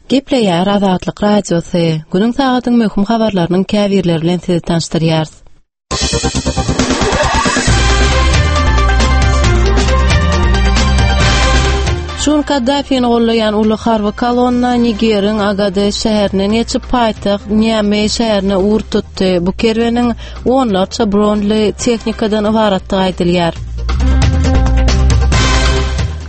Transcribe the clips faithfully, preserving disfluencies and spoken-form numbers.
Gepleýär Azatlyk Radiosy. Günüň sagadyň möhüm habarlarynyň käbirleri bilen sizi tanyşdyrýarys. Şun Kaddafini gollaýan uly harby kolonna Nigeriň Agades şäherinden geçip paýtagt Niamey şäherine ugur tutdy. Bu kerweniň onlarça bronly tehnikadan ybaratdygy aýdylýar.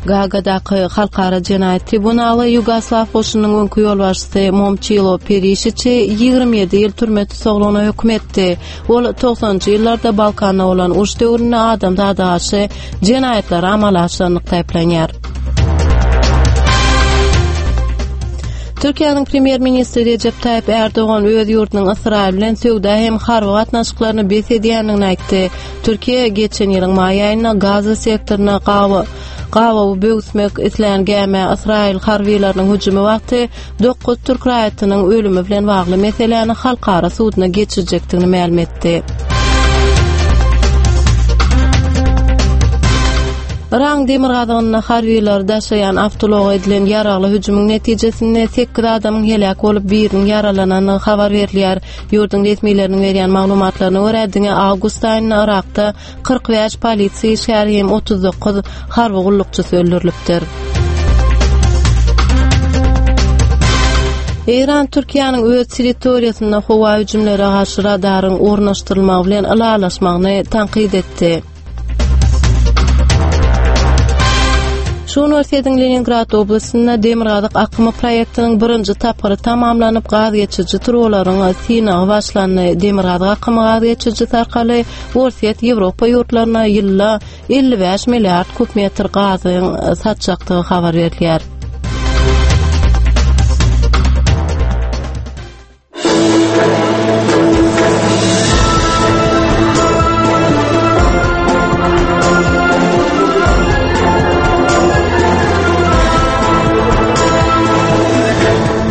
Gagadaky Halkara jenaýat tribunaly Ýugoslaw goşunynyň öňki ýolbaşçysy Momçilo Perişiçi ýigrimi ýedi ýyl türme tussaglygyna höküm etdi. Ol togsanynjy ýyllarda Balkanda bolan uruş döwründe adamzada garşy jenaýatlary amala aşyranlykda aýyplanýar. Türkiýäniň premýer-ministri Rejep Taýyp Ärdogan öz ýurdunyň Ysraýyl bilen söwda hem harby gatnaşyklaryny bes edýändigini aýtdy. Türkiýe geçen ýylyň maý aýynda Gaza sektoryna gawa gabawy böwüsmek islän gämä Ysraýyl harbylarynyň hüjümi wagty dokuz türk raýatynyň ölümi bilen bagly meseläni halkara suduna geçirjekdigini mälim etdi. Yragyň demirgazygynda harbylary daşaýan awtoulaga edilen ýaragly hüjümiň netijesinde sekiz adamyň heläk bolup, biriniň ýaralanandygy habar berilýär. Ýurduň resmileriniň berýän maglumatlaryna görä, diňe awgust aýynda Yrakda kyrk bäş polisiýa işgäri hem otuz dokuz harby gullukçysy öldürilipdir. Eýran Türkiýäniň öz territoriýasynda howa hüjümlere garşy radaryň ornaşdyrylmagy bilen ylalaşmagyny tankyt etdi. Şu gün Orsýetiň Leningrad oblastynda Demirgazyk akymy proýektiniň birinji tapgyry tamamlanyp, gaz geçiriji turbalaryň synagy başlandy. Demirgazyk akymy gaz geçirijisi arkaly Orsýet Ýewropa ýurtlaryna ýylda elli bäş milliard kub metr gazyň satjakdygy habar berilýär.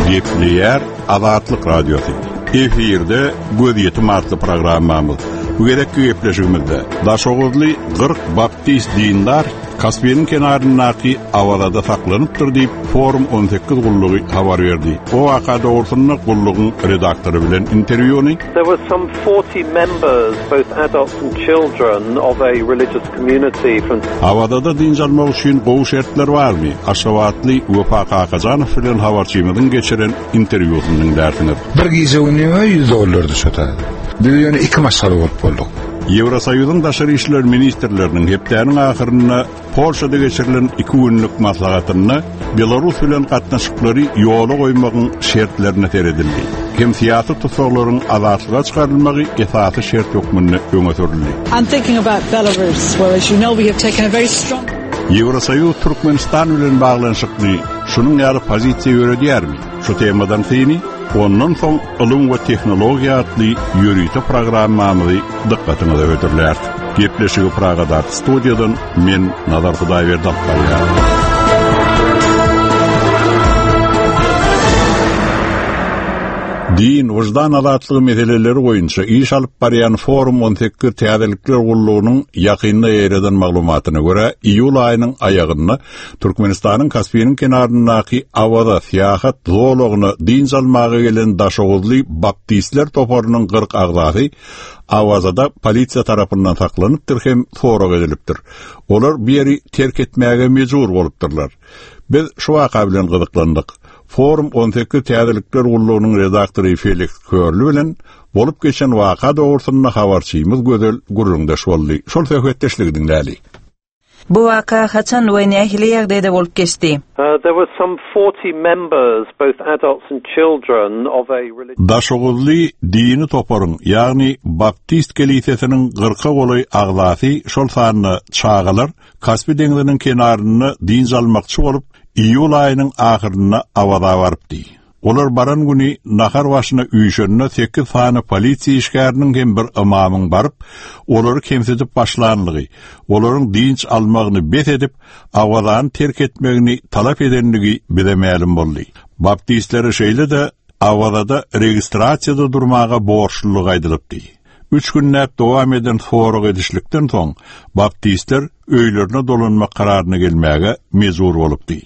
Gepleýär Azatlyk Radiosy. Efirde Gözýetim atly programmamyz. Bu gezekki gepleşigimizde Daşoguzly kyrk baptist dindar Kaspiniň kenaryndaky Awazada saklanypdyr diýip Forum on sekiz gullugy habar berdi. O waka dogrusynda gullugyň redaktory bilen interwýuny. There were some forty members, both adults and children, of a religious community from Awazada dynç almak üçin gowy şertler barmy? Aşgabatly Wepa Kakajanow bilen habarçymyzyň geçiren interwýusyny diňlärsiňiz. Bir gije günüme ýüz dollardy şo taýda. Biz ýöne iki maşgala bolup bolduk. Ýewrosoýuzyň daşary işler ministrleriniň hepdäniň ahyrynda Polşada geçirilen iki günlük maslahatynda Belarus bilen gatnaşyklary ýola goýmagyň şertlerine seredildi. Hem syýasy tussaglaryň azatlyga çykarylmagy esasy şert hökmünde öňe sürüldi. I'm thinking about Belarus, where as you know we have taken a very strong Ýewrosoýuz Türkmenistan bilen baglanyşykly şunuň ýaly pozisiýa ýöredýärmi? Şu temadan syny, ondan soň ylym we tehnologiýa atly ýörite programmamyzy dykgatyňyza hödürläris. Gepleşigi Pragadaky studiýadan men Nazar Hudaýberdi alyp barýaryn. Din, wyždan azatlygy meseleleri boýunça iş alyp barýan Forum on sekiz täzelikler gullugynyň ýakynda ýaýradan maglumatyna görä, iýul aýynyň aýagynda Türkmenistanyň Kaspiniň kenaryndaky Awaza syýahat zolagyna dynç almaga gelen Daşoguzly baptistler toparynyň kyrk agzasy Awazada polisiýa tarapyndan saklanypdyr hem sorag edilipdir. Olar bu ýeri terk etmäge mejbur bolupdyrlar. Biz şu waka bilen gyzyklandyk. Forum on sekiz täzelikler gullugynyň redaktory Feliks Körli bilen bolup geçen waka dogrusynda habarçymyz Gözel gürrüňdeş boldy. Şol söhbetdeşligi diňläli. Bu waka haçan we nähili ýagdaýda bolup geçdi? Uh, there were some forty members, both adults and children, of a religious Daşoguzly dini toparyň, ýagny Baptist kelisesiniň kyrka golaý agzasy, şol sanda çagalar Kaspi deňziniň kenarynda dynç almakçy bolup, iýul aýynyň ahyrynda Awaza barypdy. Olar baran güni nahar başyna üýşende sekiz sany polisiýa işgäriniň hem bir ymamyň baryp, olary kemsidip başlanlygy, olaryň dynç almagyny bes edip, Awazany terk etmegini talap edenligi bize mälim boldy. Baptistlere şeýle-de Awazada registrasiýada durmaga borçlulyk aýdylypdy. Üç günläp dowam eden sorag edişlikden soň, baptistler öýlerine dolanmak kararyna gelmäge mejbur bolupdy.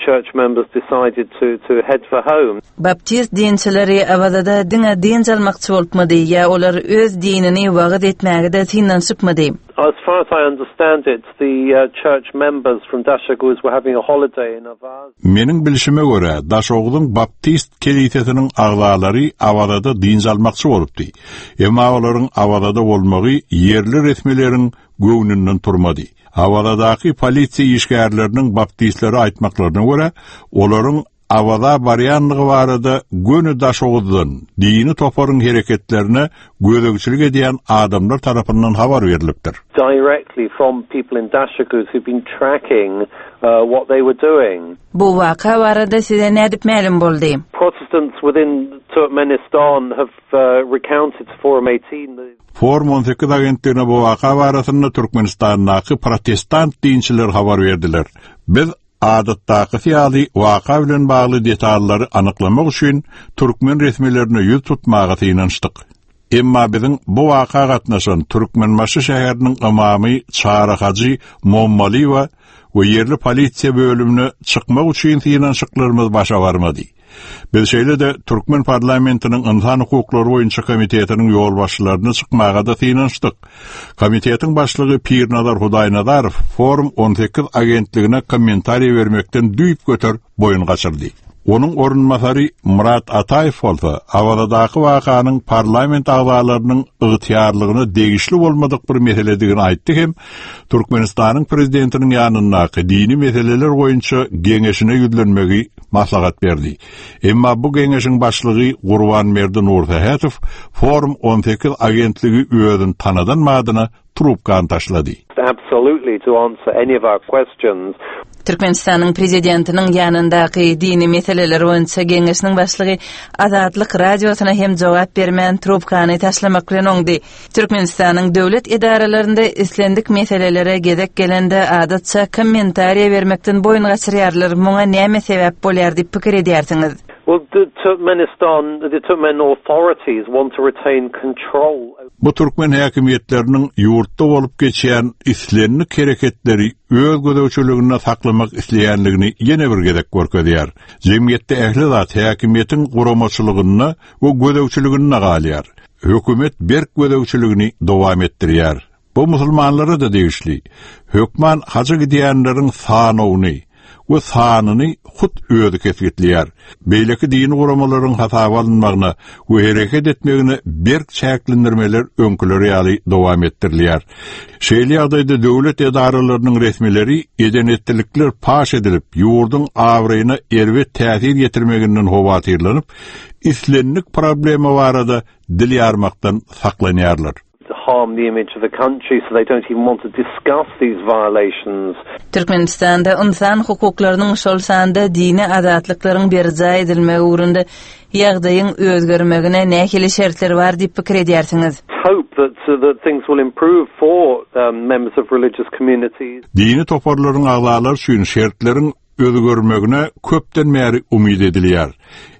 church members decided to, to head for home. Baptist dinçileri Awazada diňe dynç almakçy bolupmydy ýa olar öz dinini wagyz etmäge-de synanyşypmydy? As far as I understand it, the uh, church members from Dashoguz were having a holiday in Avaza. Meniň bilşime görä, Daşoguzyň Baptist kelisesiniň agzalary Awazada dynç almakçy bolupdy. Emma olaryň Awazada bolmagy ýerli resmileriň göwnünden turmady. Awazadaky polisiýa işgärleriniň baptistlere aýtmaklaryna görä, olaryň Awaza barýanlygy barada göni Daşoguzdan dini toparyň hereketlerine gözegçilik edýän adamlar tarapyndan habar berlipdir. Directly from people in Dashoguz who've been tracking uh, what they were doing. Bu waka barada size nädip mälim boldy? Protestants within Turkmenistan have uh, recounted to Forum eighteen the Forum on sekiz agentligine bu waka barasynda Türkmenistandaky protestant dinçiler habar berdiler. Biz adatdaky ýaly waka bilen bagly detallary anyklamak üçin türkmen resmilerine ýüz tutmaga synanyşdyk. Emma biziň bu waka gatnaşan Türkmenbaşy şäheriniň ymamy Çary Hajy Mommaliýewa we ýerli polisiýa bölümine çykmak üçin synanyşyklarymyz başa barmady. Biz şeýle-de Türkmen parlamentiniň Ynsan hukuklary boýunça komitetiniň ýolbaşçylaryna çykmaga-da synanyşdyk. Komitetiň başlygy Pirnazar Hudaýnazarow Forum on sekiz agentligine kommentariý bermekden düýp göter boýun gaçyrdy. Onuň orunbasary Murat Ataýew bolsa Awazadaky wakanyň parlament agzalarynyň ygtyýarlygyna degişli bolmadyk bir meseledigini aýtdy hem Türkmenistanyň prezidentiniň ýanyndaky dini meseleler boýunça geňeşine ýüzlenmegi maslahat berdi. Emma bu geňeşiň başlygy Gurbanberdi Nursähetow Forum on sekiz agentligi özüni tanadan madyna trubkany taşlady. Absolutely to answer any of our questions. Türkmenistanyň prezidentiniň ýanyndaky dini meseleler boýunça geňeşiniň başlygy Azatlyk radiosyna hem jogap bermän trubkany taşlamak bilen oňdy. Türkmenistanyň döwlet edaralarynda islendik meselelere gezek gelende adatça kommentariýa bermekden boýun gaçyrýarlar. Muňa näme sebäp bolýar diýip pikir edýärsiňiz? Well, the Turkmenistan, the Turkmen authorities want to retain control. Bu türkmen häkimiýetleriniň ýurtda bolup geçýän islendik hereketleri öz gözegçiliginde saklamak isleýänligini ýene bir gezek görkezýär. Jemgyýetde ähli zat häkimiýetiň guramaçylygynda we gözegçiliginde galýar. Hökümet berk gözegçiligini dowam etdirýär. Bu musulmanlara da degişli. Hökman haja gidýänleriň sanawyny we sanyny hut özi kesgitleýär. Beýleki dini guramalaryň hasaba alynmagyna we hereket etmegine berk çäklendirmeler öňküler ýaly dowam etdirilýär. Şeýle ýagdaýda döwlet edaralarynyň resmileri eden-etdilikler paş edilip, ýurduň abraýyna erbet täsir ýetirmeginden howatyrlanyp, islendik problema barada dil ýarmakdan saklanýarlar. Harm the image of the country, so they don't even want to discuss these violations. Türkmenistanda ynsan hukuklarynyň şol sanda dini azatlyklaryň berjaý edilmegi ugrunda ýagdaýyň özgermegine nähili şertler bar diýip pikir edýärsiňiz? Hope that, uh, that things will improve for, um, members of religious communities. Dini toparlaryň agzalary üçin şertleriň özgermegine köpden bäri umyt edilýär.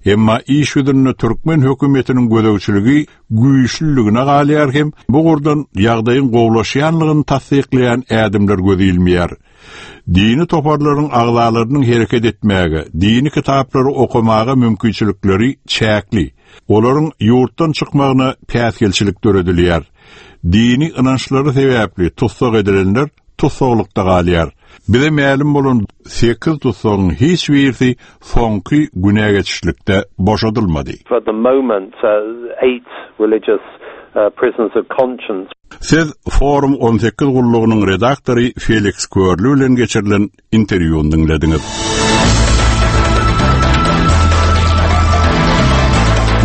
Emma iş ýüzünde türkmen hökümetiniň gözegçiligi güýçlüligine galýar hem bu gurdan ýagdaýyň gowlaşýanlygyny tassyklaýan ädimler göz ilmeýär. Dini toparlaryň agzalarynyň hereket etmäge, dini kitaplary okamaga mümkinçilikleri çäkli. Olaryň ýurtdan çykmagyna päsgelçilik döredilýär. Dini ynançlary sebäpli tussag edilenler tussaglykda galýar. Bize mälim bolan sekiz tussagyň hiç birisi soňky güne geçişlikde boşadylmady. For the moment, uh, eight religious, uh, prisoners of conscience. Siz Forum on sekiz gullugynyň redaktory Felix Körli bilen geçirilen interwýuny diňlediňiz.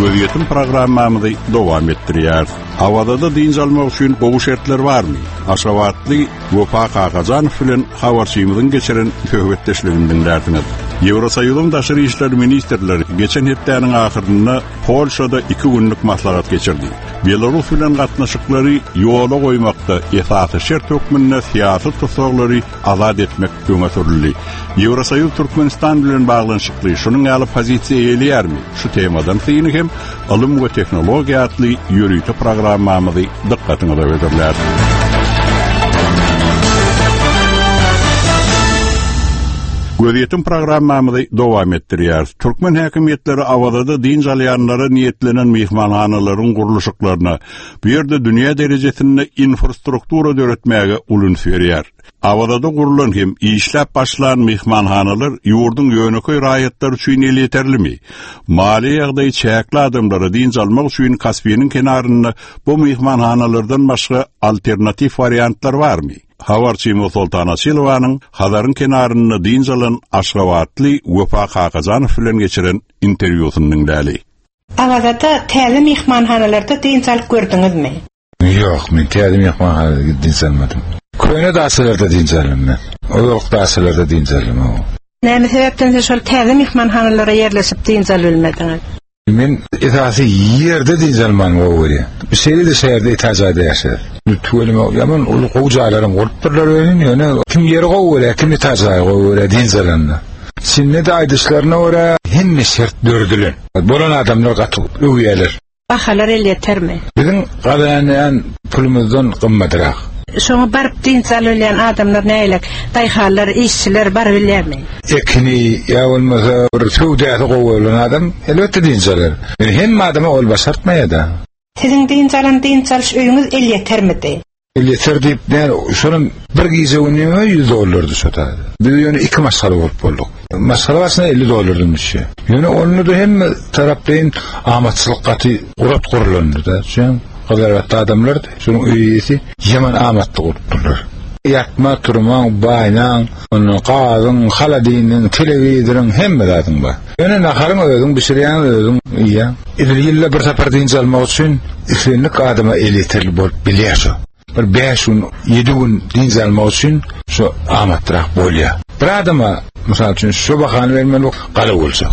Gözýetim programmamyzy dowam etdirýär. Awazada dynç almak üçin gowy şertler barmy? Aşgabatly Wepa Kakajanow bilen habarçymyzyň geçiren söhbetdeşligini diňlärsiňiz. Ýewrosoýuzyň daşary işler ministrleri geçen hepdäniň ahyrynda Polşada iki günlük maslahat geçirdi. Belarus bilen gatnaşyklary ýola goýmakda esasy şert hökmünde syýasy tutsaglary azat etmek öňe sürüldi. Ýewrosoýuz Türkmenistan bilen baglanyşykly şunuň ýaly pozisiýa eýeleýärmi? Şu temadan syny hem ylym we tehnologiýa atly ýörite programmamyzy dykgatyňyza hödürlär. Gözýetim programmamyzy dowam etdirýär. Türkmen häkimiýetleri Awazada dynç alýanlara niýetlenen myhmanhanalaryň gurluşyklaryna, bu ýerde dünýä derejesinde infrastruktura döretmäge uly üns berýär. Awazada gurulan hem işläp başlan myhmanhanalar ýurduň ýönekeý raýatlar üçin elýeterlimi? Maliýe ýagdaýy çäkli adamlara dynç almak üçin Kaspiniň kenarynda bu myhmanhanalardan başga alternatiw wariantlar barmy? Habarçymyz Soltan Açylowanyň Hazaryň kenarynda dynç alan Aşgabatly Wepa Kakajanow bilen geçiren interwýusyny diňläli. Awazada täze myhmanhanalarda dynç alyp gördüňizmi? Ýok, men täze myhmanhanada dynç almadym. Köne daçalarda dynç aldym men. Ozalky daçalarda dynç aldym. Näme sebäpden şol täze myhmanhanalara ýerleşip dynç alyp bilmediňiz? Men esasy ýerde dynç almany gowy görýän. Şeýle-de şäherde etažada ýaşaýar. Tüweleme ýaman uly gowy jaýlaram gurupdyrlar özün, ýöne kim ýeri gowy görýär, kim etažaýy gowy görýär dynç alanda. Şimdi-de aýdyşlaryna görä hemme şert döredilen. Bolan adamlar gaty öwýärler. Bahalar elýetermi? Biziň gazanýan pulumyzdan gymmatrak. Şoňa baryp dynç alyp adamlar näýlek? Daýhanlar, işçiler baryp bilýärmi? Ekini ýa bolmasa bir söwdasy gowy bolan adam elbetde dynç alar. Yani hemme adama ol başartmaýar-da. Siziň dynç alan dynç alyş öýüňiz elýetermidi? Elýeter diýip, näme, şonuň bir gije gününe ýüz dollardy şo taýda. Biz ýöne iki maşgala bolup bolduk. Maşgala başyna elli dollardan düşýär. Ýöne onda da hemme taraplaýyn amatçylyk gaty gurat gurulandy-da. Şoň gazaratda adamlar şonuň öýi ýaman amatly gurupdyrlar. Ýatma, turmaň, baýnaň, ondan gazyň, haladiniň, telewizoryň hemme zadyň bar. Ýöne naharyň özüň bişirýäň, özüň iýýäň. Edil ýylda bir sapar dynç almak üçin islendik adama elýeterli bolup bilýär şo. Bir beş gün, ýedi gün dynç almak üçin şu amatrak bolýar. Bir adama mysal üçin şu bahany bermeli gala boljak.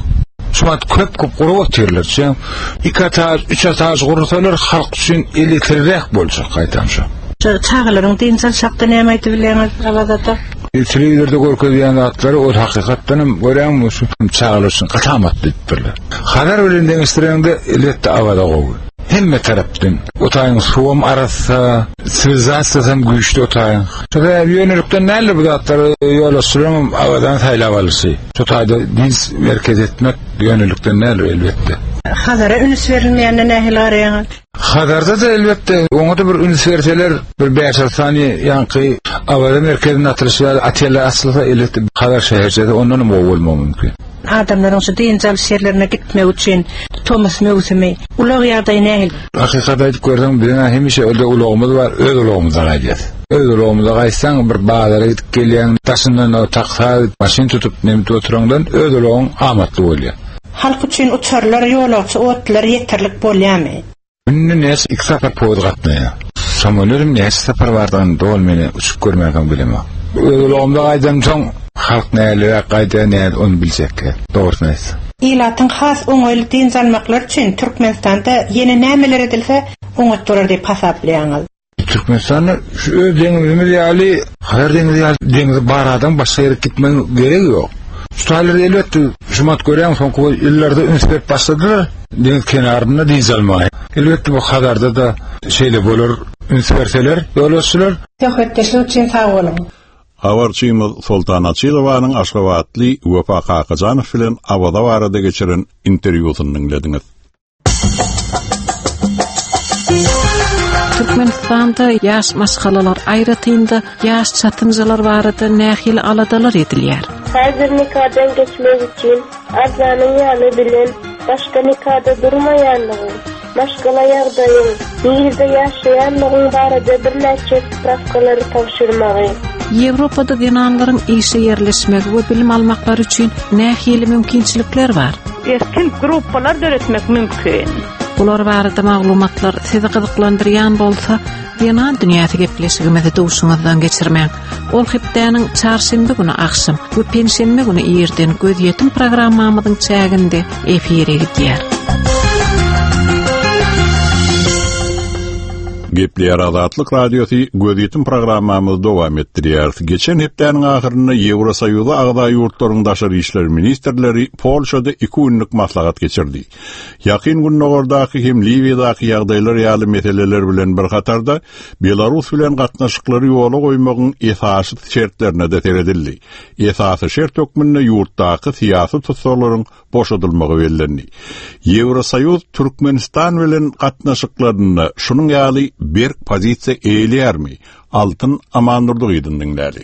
Şu wagt köp köp gurup otyrlar. Şu iki etaž, üç etaž gursalar halk üçin elýeterliräk boljak gaýtam şu. Şu çagalaryň dynç alyş hakda näme aýdyp bilýäňiz Awazada? Telewizorda görkezýän zatlary ol hakykatdan hem görýäňmi şu çagalar üçin gaty amatly diýipdirler. Hazar bilen deňeşdireňde elbetde Awaza gowy. Hemme tarapdan otaýyň suwam arassa, siwilizasiýasy hem güýçli otaýyň. Şu sebäbi ýönelikden näle bu zatlary ýollaşdyran Awazadan saýlap alyşy. Şu taýda dynç merkez etmek ýönelikden näle elbetde. Hazara üns berilmeýänine nähili garaýaňyz? Hazarda da elbetde oňa da bir üns berseler, bir beş sany ýaňky Awaza merkezinde atylyş ýaly oteller açylsa elbetde Hazar şäherçesi ondan hem gowy bolmagy mümkin. Adamlaryň şu dynç alyş ýerlerine gitmek üçin tomus möwsümi ulag ýagdaýy nähili? Hakykat aýdyp görseň, biziň hemişe öde ulagymyz bar, öz ulagymyzda gaýdýas. Öz ulagymyzda gaýtsaň bir bazara gidip gelýäň, daşyndan o taksa, maşyn tutup nemit oturaňdan öz ulagyň amatly bolýar. Halk üçin uçarlar, ýolagçy otlular ýeterlik bolýarmy? Günde näçe iki sapar poýuz gatnaýar. Samolýotum näçe sapar bardygyny doly meni uçup görmänsoň bilemok. Öz ulagymda gaýdamsoň halk näleräk gaýdýar, näle ony biljek. Dogrusyny aýtsam. Ilatyň has oňaýly dynç almaklary üçin Türkmenistanda ýene nämeler edilse oňat bolar diýip hasaplaýaňyz? Türkmenistanda şu öz deňizimiz ýaly, Hazar deňizi ýaly deňizi bar adam başga ýere gitmegiň geregi ýok. Şu taýlarda elbetde şumat görýän soňky ýyllarda üns berip başladylar deňiz kenarynda dynç almaga. Elbetde bu Hazarda da şeýle bolar, üns berseler ýolagçylar. Söhbetdeşlik üçin sag boluň. Habarçymyz Soltan Açylowanyň Aşgabatly Wepa Kakajanow bilen Awaza barada geçiren interwýusyny diňlediňiz. Türkmenistanda ýaş maşgalalar aýratynda ýaş çatynjalar barada nähili aladalar edilýär? Häzir nikadan geçmek üçin arzanyň ýany bilen başga nikada durmaýanlygyň, maşgala ýagdaýyň, nirede ýaşaýanlygyň barada birnäçe sprawkalary tabşyrmagy. Ýewropada zenanlaryň işe ýerleşmegi we bilim almaklary üçin nähili mümkinçilikler bar? Erkin gruppalar döretmek mümkin. Bular barada maglumatlar sizi gyzyklandyrýan bolsa, Zenan dünýäsi gepleşigimizi duşuňyzdan geçirmäň. Ol hepdäniň çarşenbe güni agşam we penşenbe güni irden gözýetim programmamyzyň çäginde efire gidýär. Gepleýär Azatlyk Radiosy gözýetim programmamyzy dowam etdirýär. Geçen hepdäniň ahyrynda Ýewrosoýuza agza ýurtlaryň daşary işler ministrleri Polşada iki günlük maslahat geçirdi. Ýakyn Gündogardaky hem Liwiýadaky ýagdaýlar ýaly meseleler bilen bir hatarda Belarus bilen gatnaşyklary ýola goýmagyň esasy şertlerine de seredildi. Esasy şert hökmünde ýurtdaky syýasy tussaglaryň boşadylmagy bellendi. Ýewrosoýuz Türkmenistan bilen gatnaşyklarynda şunuň ýaly berk pozisiýa eýeleýärmi? Altyn Amandurdygydyň diňläli.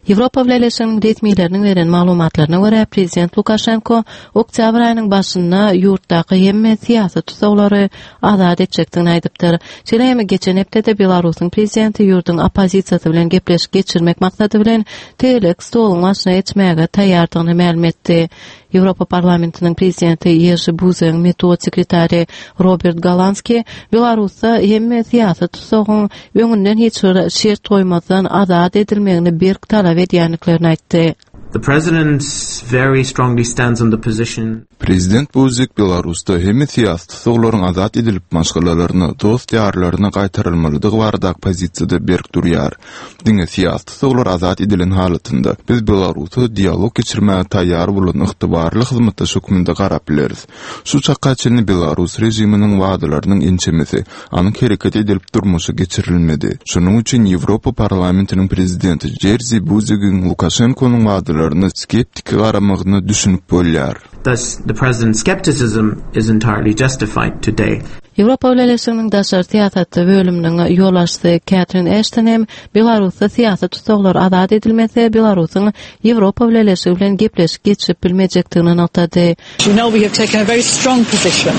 Ýewropa Bileleşiginiň resmileriniň beren maglumatlaryna görä, prezident Lukaşenko oktyabr aýynyň başynda ýurtdaky hemme syýasy tutsaglary azat etjekdigini aýdypdyr. Şeýle hem geçen hepdede Belarusyň prezidenti ýurduň oppozisiýasy bilen gepleşik geçirmek maksady bilen tegelek stoluň başyna geçmäge taýýardygyny mälim etdi. Ýewropa Parlamentiniň prezidenti Jerzy Buzegiň metbugat sekretary Robert Golanski Belarusda hemme syýasy tutsagyň öňünden hiç bir şert goýmazdan azat edilmegini berk talap edýändiklerini aýtdy. The president very strongly stands on the position Prezident Buzek Belarusda hemme syýasy tussaglaryň azat edilip maşgalalaryna, dost ýarlaryna gaýtarylmalydygy baradaky pozisiýada berk durýar. Diňe syýasy tussaglar azat edilen halatynda biz Belarusa dialog geçirmäge taýýar bolan ygtybarly hyzmatdaş hökmünde garap bileris. Şu çaka çenli Belarus režiminiň wadalarynyň ençemesi anyk hereket edilip durmuşa geçirilmedi. Şonuň üçin Ýewropa Parlamentiniň prezidenti Jerzy Buzegiň Lukaşenkonyň wadalaryna skeptiki garamagyna düşünip bolýar. Thus, the president's skepticism is entirely justified today. Ýewropa Bileleşiginiň daşary syýasat bölüminiň ýolbaşçysy Katrin Ashton hem Belarusda syýasy tussaglar azat edilmese, Belarusyň Ýewropa Bileleşigi bilen gepleşik geçirip bilmejekdigini nygtady. You know, we have taken a very strong position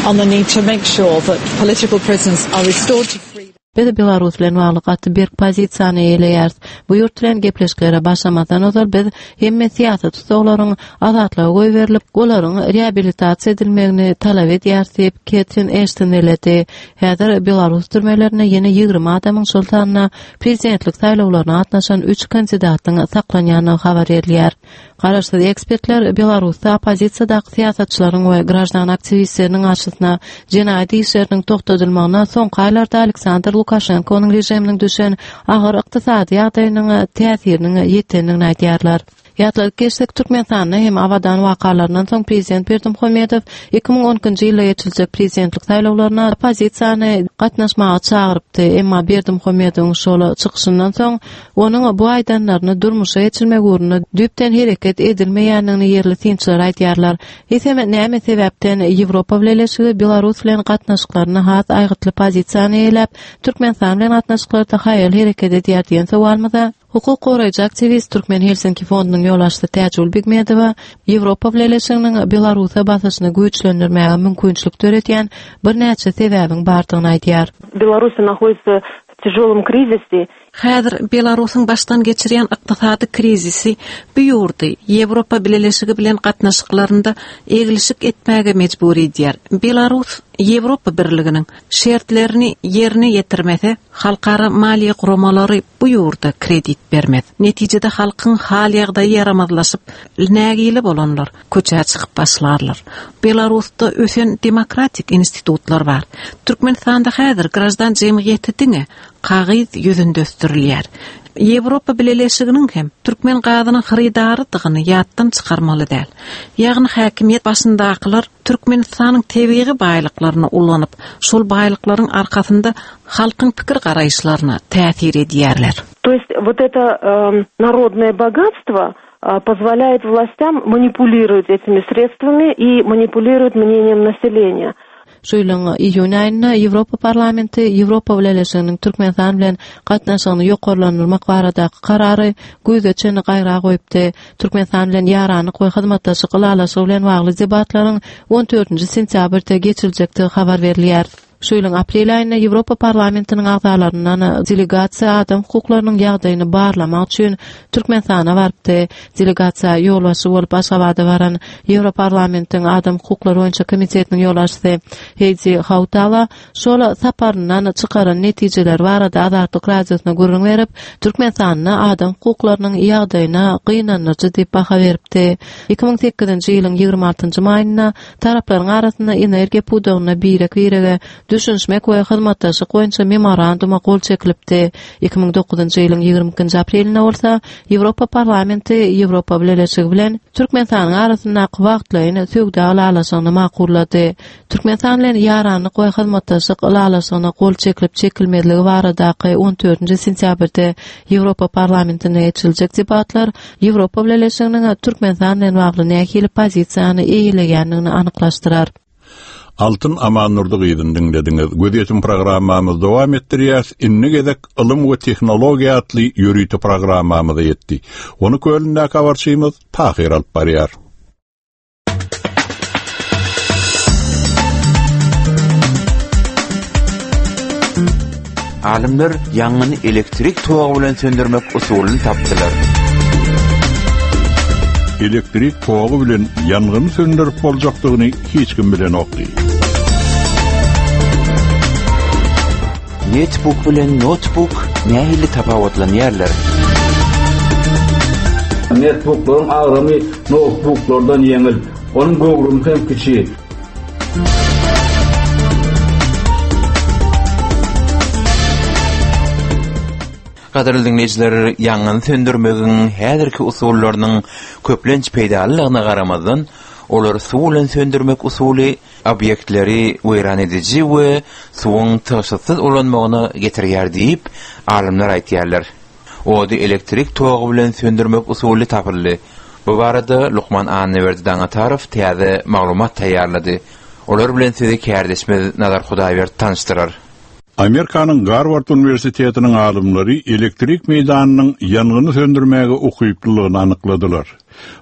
on the need to make sure that political prisoners are restored to freedom. Biz Belarus bilen bagly gaty berk pozisiýany eýeleýäris. Bu ýurt bilen gepleşiklere başlamazdan ozal biz hemme syýasy tussaglaryň azatlyga goýberilip, olaryň reabilitasiýa edilmegini talap edýäris diýip Katrin Ashton belledi. Häzir Belarus türmelerinde ýene ýigrimi adamyň, şol sanda prezidentlik saýlawlaryna gatnaşan üç kandidatyň saklanýandygy habar berilýär. Garaşsyz ekspertler Belarusda oppozisiýadaky syýasatçylaryň we graždan aktiwistleriniň garşysyna jenaýat işleriniň togtadylmagyna soňky aýlarda Aleksandr Lukaşenkonyň režiminiň düşen agyr ykdysady ýagdaýynyň täsiriniň ýetendigini aýdýarlar. Ýatladyp geçsek, Türkmenistanda hem Abadan wakalaryndan soň prezident Berdimuhamedow iki müň on ikinji ýylda geçiriljek prezidentlik saýlawlaryna oppozisiýany gatnaşmaga çagyrypdy. Emma Berdimuhamedowyň şol çykyşyndan soň onuň bu aýdanlaryny durmuşa geçirmek ugrunda düýpden hereket edilmeýändigini ýerli synçylar aýdýarlar. Eýsem, näme sebäpden Ýewropa Bileleşigi Belarus bilen gatnaşyklaryny has aýgytly pozisiýany eýläp, Türkmenistan bilen gatnaşyklarda haýal hereket edýär diýen sowalymyza hukuk goraýjy aktiwist Türkmen Helsinki fondunyň ýolbaşçysy Täjigül Begmedowa Ýewropa Bileleşiginiň Belarusa basyşyny güýçlendirmäge mümkinçilik döredýän birnäçe sebäbiň bardygyny aýdýar. Belarus находится в тяжелом кризисе. Häzir Belarusyň başdan geçirýän ykdysady krizisi bu ýurdy Ýewropa Bileleşigi bilen gatnaşyklarynda eglişik etmäge mejbur edýär. Belarus Ýewropa Birliginiň şertlerini ýerine ýetirmese, halkara maliýe guramalary bu ýurda kredit bermez. Netijede halkyň hal ýagdaýy ýaramazlaşyp, nägile bolanlar köçä çykyp başlarlar. Belarusda ösen demokratik institutlar bar. Türkmenistanda häzir graždan jemgyýeti diňe kagyz ýüzünde ösdürilýär. Ýewropa Bileleşiginiň hem türkmen gazynyň hyrydarydygyny ýatdan çykarmaly däl. Ýagny häkimiýet başyndakylar Türkmenistanyň tebigy baýlyklaryny ulanyp, şol baýlyklaryň arkasynda halkyň pikir garaýyşlaryna täsir edýärler. То есть вот это, эм, народное богатство, а, позволяет властям манипулировать этими средствами и манипулировать мнением населения. Şu ýylyň iýun aýynda Ýewropa Parlamenti Ýewropa Bileleşiginiň Türkmenistan bilen gatnaşygyny ýokarlandyrmak baradaky karary güýze çenli gaýra goýupdy. Türkmenistan bilen ýaranlyk we hyzmatdaşlyk ylalaşygy bilen bagly debatlaryň on dördünji sentýabrda geçiriljekdigi habar berilýär. Şu ýylyň aprel aýynda Ýewropa Parlamentiniň agzalaryndan delegasiýa adam hukuklarynyň ýagdaýyny barlamak üçin Türkmenistana barypdy. Delegasiýa ýolbaşçy bolup Aşgabada baran Ýewroparlamentiň adam hukuklary boýunça komitetiniň ýolbaşçysy Heidi Hautala şol saparyndan çykaran netijeler barada Azatlyk Radiosyna gürrüň berip, Türkmenistanda adam hukuklarynyň ýagdaýyna gynandyryjy diýip baha beripdi. Iki müň sekizinji ýylyň ýigrimi altynjy maýynda taraplaryň arasynda energiýa pudagynda birek-birege düşünişmek we hyzmatdaşlyk boýunça memoranduma gol çekilipdi. Iki müň dokuzynjy ýylyň ýigrimi ikinji aprelinde bolsa Ýewropa Parlamenti Ýewropa Bileleşigi bilen Türkmenistanyň arasyndaky wagtlaýyn söwda ylalaşygyny makullady. Türkmenistan bilen ýaranlyk we hyzmatdaşlyk ylalaşygyna gol çekilip çekilmezligi baradaky on dördünji sentýabrda Ýewropa Parlamentinde geçiriljek debatlar Ýewropa Bileleşiginiň Türkmenistan bilen bagly nähili pozisiýany eýeleýändigini anyklaşdyrar. Altyn Amannurdy gyzyny diňlediňiz. Gözýetim programmamyz dowam etdirýär. Indi gezek ylym we tehnologiýa atly ýörite programmamyza ýetdi. Ony kölündäki habarçymyz Tahir alyp barýar. Alymlar ýangyny elektrik togy bilen söndürmek usulyny tapdylar. Elektrik togy bilen ýangyny söndürip boljakdygyny hiç kim bilenokdy. Netbook bilen notebook nähili tapawutlanýarlar? Netbooklaryň agramy notebooklardan ýeňil, onuň göwrümi hem kiçi. Gadyrly dinleýjiler, ýangyny söndürmegiň häzirki usullarynyň köplenç peýdalylygyna garamazdan, olar suw bilen söndürmek usuly obýektleri weýran ediji we suwuň tygşytsyz ulanmagyna getirýär diýip, alymlar aýtýarlar. Ody elektrik togy bilen söndürmek usuly tapyldy. Bu barada Lukman Annaberdi Daňatarow täze maglumat taýýarlady. Olar bilen sizi kärdeşimiz Nazar Hudaýberdi tanyşdyrar. Amerikanyň Garward Uniwersitetiniň alymlary elektrik meýdanynyň ýangyny söndürmäge ukyplylygyny anykladylar.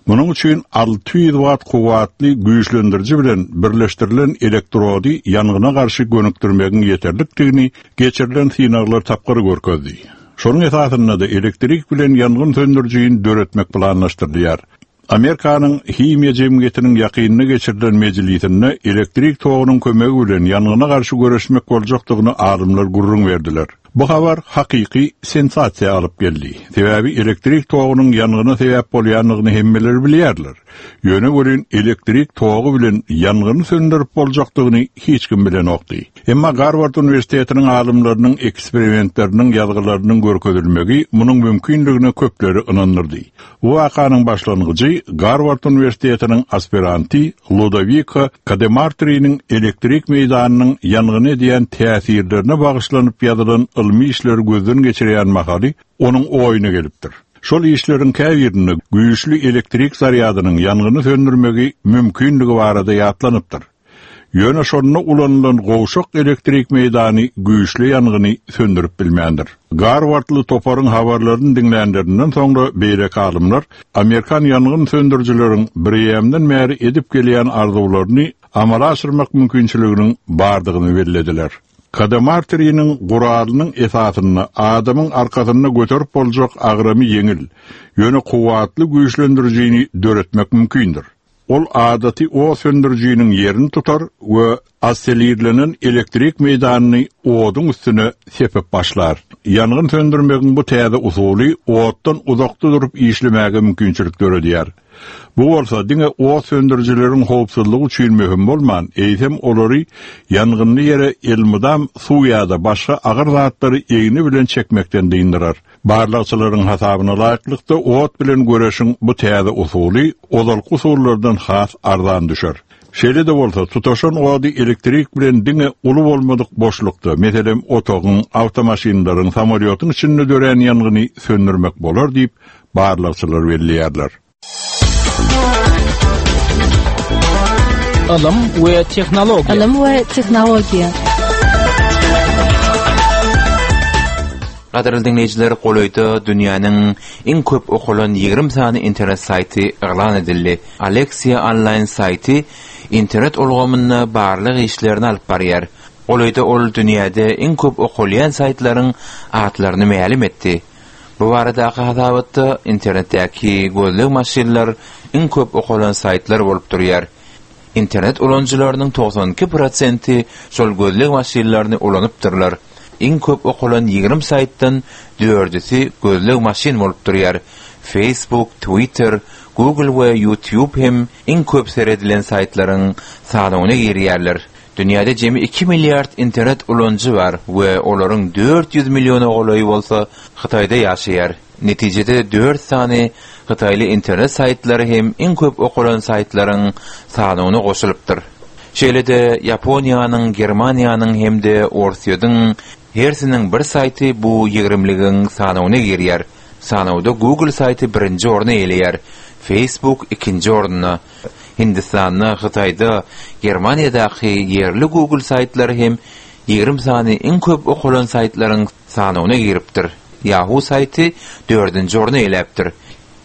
Munuň üçin alty ýüz watt kuwwatly güýçlendiriji bilen birleşdirilen elektrody ýangyna garşy gönükdirmegiň ýeterlikdigini geçirilen synaglar tapgyry görkezdi. Şonuň esasynda da elektrik bilen ýangyn söndürijini döretmek planlaşdyrylýar. Amerikanyň himiýa jemgyýetiniň ýakynda geçirilen mejlisinde elektrik togunyň kömegi bilen ýangyna garşy göreşmek boljakdygyny alymlar gürrüň berdiler. Bu habar hakyky sensasiýa alyp geldi. Sebäbi elektrik togunyň ýangyna sebäp bolýandygyny hemmeler bilýärler. Ýöne welin elektrik togy bilen ýangyny söndürip boljakdygyny hiç kim bilenokdy. Emma Garward Uniwersitetiniň alymlarynyň eksperimentleriniň ýazgylarynyň görkezilmegi munuň mümkinligine köpleri ynandyrdy. Bu wakanyň başlangyjy Garward Uniwersitetiniň aspiranty Ludovika Kademartriniň elektrik meýdanynyň ýangyny edýän täsirlerine bagyşlanyp ýazylan ylmy işleri gözden geçirýän mahaly onuň oýuna gelipdir. Şol işleriň käbirinde güýçli elektrik zarýadynyň ýangyny söndürmegi mümkinligi barada ýatlanypdyr. Ýöne şonda ulanylan gowşak elektrik meýdany güýçli ýangyny söndürip bilmändir. Garwardly toparyň habarlaryny diňlänlerinden soňra beýleki alymlar Amerikan ýangyn söndürijileriň bir bäri edip gelýän arzuwlaryny amala aşyrmak mümkinçiliginiň bardygyny bellediler. Kademartriniň guralynyň esasynda adamyň arkasynda göterip boljak agramy ýeňil, ýöne kuwwatly güýçlendirijini döretmek mümkindir. Ol adaty o söndürijiniň ýerini tutar we aselirlenen elektrik meýdanyny oduň üstüne sepip başlar. Ýangyn söndürmegiň bu täze usuly otdan uzakda durup işlemäge mümkinçilik döredýär. Bu bolsa diňe ot söndürijileriň howpsuzlygy üçin möhüm bolman, eýsem olary ýangynly ýere elmydam suw ýa-da başga agyr zatlary egni bilen çekmekden dyndyrar. Barlagçylaryň hasabyna laýyklykda ot bilen göreşiň bu täze usuly ozalky usullardan has arzan düşer. Şeýle de bolsa tutaşan ody elektrik bilen diňe uly bolmadyk boşlukda, meselem otagyň, awtomaşinlaryň, samolýotyň içinde dörän ýangyny söndürmek bolar diýip barlagçylar belleýärler. Ylym we tehnologiýa. Ylym we tehnologiýa. Gadyrly dinleýjiler, golaýda dünýäniň iň köp okalan ýigrimi sany internet saýty yglan edildi. Alexia online saýty internet ulgamynda barlyk işlerini alyp barýar. Golaýda ol dünýäde iň köp okalýan saýtlaryň atlaryny mälim etdi. Bu baradaky hasabatda internetdäki gözleg maşynlar iň köp okalan saýtlar bolup durýar. Internet ulanyjylarynyň togsan iki prosenti şol gözleg maşynlaryny ulanypdyrlar. Iň köp okalan ýigrimi saýtdan dördüsi gözleg maşyn bolup durýar. Facebook, Twitter, Google we YouTube hem iň köp seredilen saýtlaryň sanawyna girýärler. Dünýäde jemi iki milliard internet ulanyjy bar we olaryň dört ýüz milliona golaýy bolsa Hytaýda ýaşaýar. Netijede dört sany hytaýly internet saýtlary hem iň köp okalan saýtlaryň sanawyna goşulypdyr. Şeýle-de Ýaponiýanyň, Germaniýanyň hem-de Orsýetiň hersiniň bir saýty bu ýigrimligiň sanawyna girýär. Sanawda Google saýty birinji orny eýeleýär, Facebook ikinji orunda. Hindistanda, Hytaýda, Germaniýadaky ýerli Google saýtlary hem ýigrimi sany iň köp okalan saýtlaryň sanawyna giripdir. Yahoo saýty dördünji orny eýeläpdir.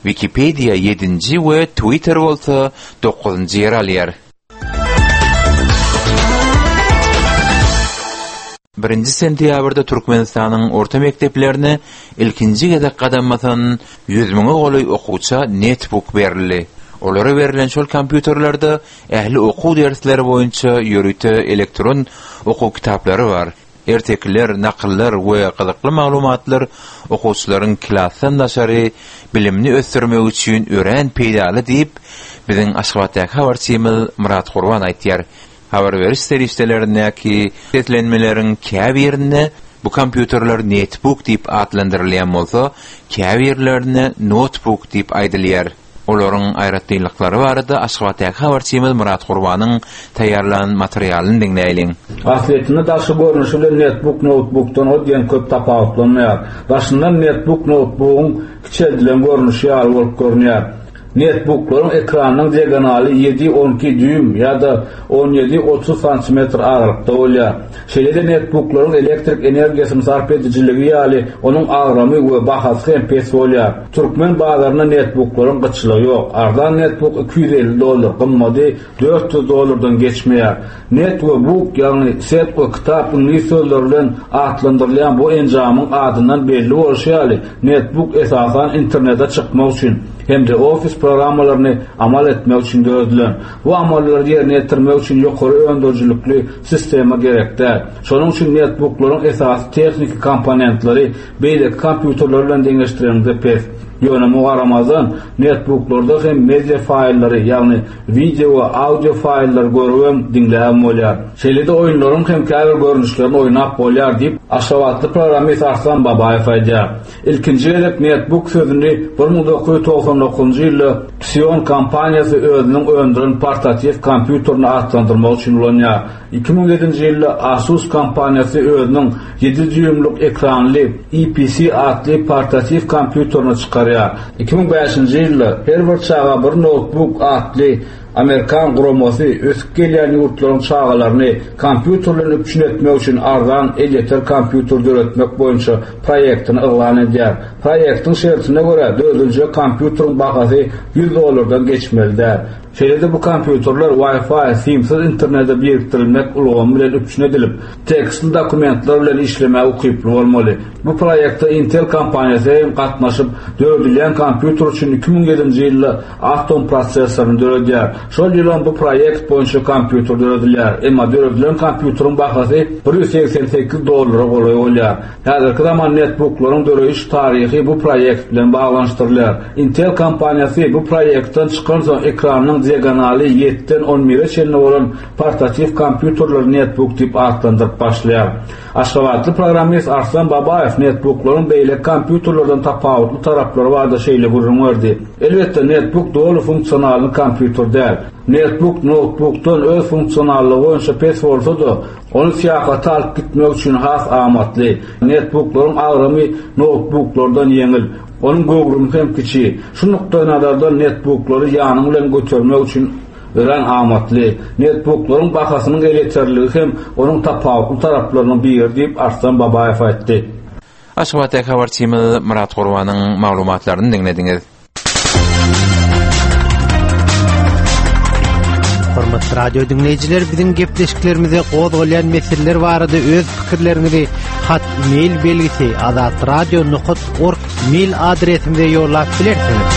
Wikipedia ýedinji we Twitter bolsa dokuzynjy ýeri alýar. Birinji sentýabrda Türkmenistanyň orta mekdeplerine ilkinji gezek gadam basan ýüz müňe golaý okuwça netbook berildi. Olara berlen şol kompýuterlerde ähli okuw dersleri boýunça ýörite elektron okuw kitaplary bar. Ertekiler, nakyllar we gyzykly maglumatlar okuwçylaryň klasdan daşary bilimini ösdürmek üçin örän peýdaly diýip, biziň Aşgabatdaky habarçymyz Myrat Gurban aýtýar. Habar beriş serişdelerindäki seslenmeleriň käbirinde bu kompýuterler netbook diýip atlandyrylýan bolsa, käbirlerinde notebook diýip aýdylýar. Olaryň aýratynlyklary barada Aşgabatdaky habarçymyz Myrat Gurbanyň taýýarlan materialyny diňläýliň. Aslyýetinde daşky görnüşi bilen netbook notebookdan o diýen köp tapawutlanmaýar. Daşyndan netbook notebookyň kiçeldilen görnüşi ýaly bolup görünýär. Netbooklaryň ekranynyň diagonaly ýedi on iki dýuým ýa-da on ýedi otuz santimetr aralykda bolýar. Şeýle-de netbooklaryň elektrik energiýasyny sarp edijiligi ýaly onuň agramy we bahasy hem pes bolýar. Türkmen bazarynda netbooklaryň gytçylygy ýok. Arzan netbook iki ýüz elli dollar, gymmady dört ýüz dollardan geçmeýär. Net we book, ýagny set we kitap iňlis sözleri bilen atlandyrylýan bu enjamyň adyndan belli bolşy ýaly, netbook esasan internete çykmak üçin hem-de ofis programmalaryny amal etmek üçin döredilen. Bu amallary ýerine ýetirmek üçin ýokary öndürijilikli sistema gerek däl. Şonuň üçin netbooklaryň esasy tehniki komponentleri beýleki kompýuterler bilen deňeşdireniňde pes. Ýöne muňa garamazdan netbooklarda hem media faýllary, ýagny video we audio faýllary görüp diňläp bolýar. Şeýle-de oýunlaryň hem käbir görnüşlerini oýnap bolýar diýip, Aşgabatly programmist Arslan Babaýew aýdýar. Ilkinji gezek netbook sözüni bir müň dokuz ýüz togsan dokuzynjy ýylda Psion kompaniýasy özüniň öndüren portatiw kompýuterini atlandyrmak üçin ulanýar. Iki müň ýedinji ýylda Asus kompaniýasy özüniň ýedi dýuýmluk ekranly E P C atly portatiw kompýuterini çykarýar. Iki müň bäşinji ýylda her bir çaga bir notebook atly Amerikan guramasy ösüp gelýän ýurtlaryň çagalaryny kompýuter bilen üpjün etmek üçin arzan elýeter kompýuter döretmek boýunça proýektini yglan edýär. Proýektiň şertine görä dörediljek kompýuteriň bahasy ýüz dollardan geçmeli däl. Şeýle-de bu kompýuterler Wi-Fi, simsiz internete birikdirilmek ulgamy bilen üpjün edilip, tekstli dokumentler bilen işlemäge ukyply bolmaly. Bu proýekte Intel kompaniýasy hem gatnaşyp, döredilýän kompýuter üçin iki müň ýedinji ýylda Atom prosessoryny döredýär. Şol ýylam bu proýekt boýunça kompýuter döredilýär. Emma döredilen kompýuteriň bahasy bir ýüz segsen sekiz dollara golaý bolýar. Häzirki zaman netbooklaryň döreýiş taryhy bu proýekt bilen baglanyşdyrylýar. Intel kompaniýasy bu proýektden çykan soň ekranyň diagonaly ýediden on bire çenli bolan portatiw kompýuterleri netbook diýip atlandyryp başlaýar. Aşgabatly programmist Arslan Babaýew netbooklaryň beýleki kompýuterlerden tapawutly taraplary barada şeýle gürrüň berdi. Elbetde netbook doly funksionalny kompýuter däl. Netbook notebookdan öz funksionallygy boýunça pes bolsa-da, ony syýahata alyp gitmek üçin has amatly. Netbooklaryň agramy notebooklardan ýeňil, onuň göwrümi hem kiçi. Şu nukdaý nazardan netbooklary ýanyň bilen götermek üçin örän amatly. Netbooklaryň bahasynyň elýeterliligi hem onuň tapawutly taraplarynyň biri diýip Arslan Babaýew aýtdy. Aşgabatdaky habarçymyz Myrat Gurbanyň maglumatlaryny diňlediňiz. Hormatly radio dinleýjiler, biziň gepleşiklerimize gozgalýan meseleler barada öz pikirleriňizi hat mail belgisi azatradio nokta org mail adresimize ýollap bilersiňiz.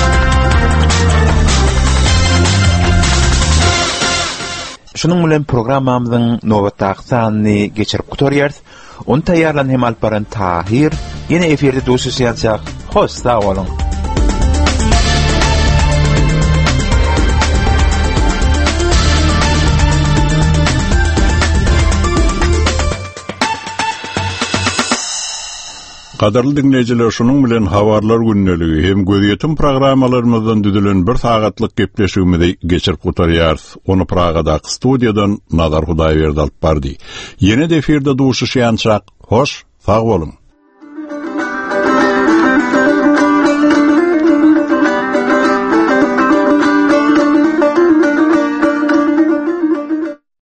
Şunuň bilen programmamyzyň nobatdaky sanyny geçirip gutarýarys. Ony taýýarlan hem alyp baran Tahir, ýene efirde duşuşýançak, hoş sag boluň. Gadyrly diňleýjiler, şunuň bilen habarlar gündeligi hem gözýetim programmalarymyzdan düzülen bir sagatlyk gepleşigimizi geçirip gutarýarys. Ony Pragadaky studiýadan Nazar Hudaýberdi alyp bardy. Ýene-de efirde duşuşýançak, hoş, sag boluň.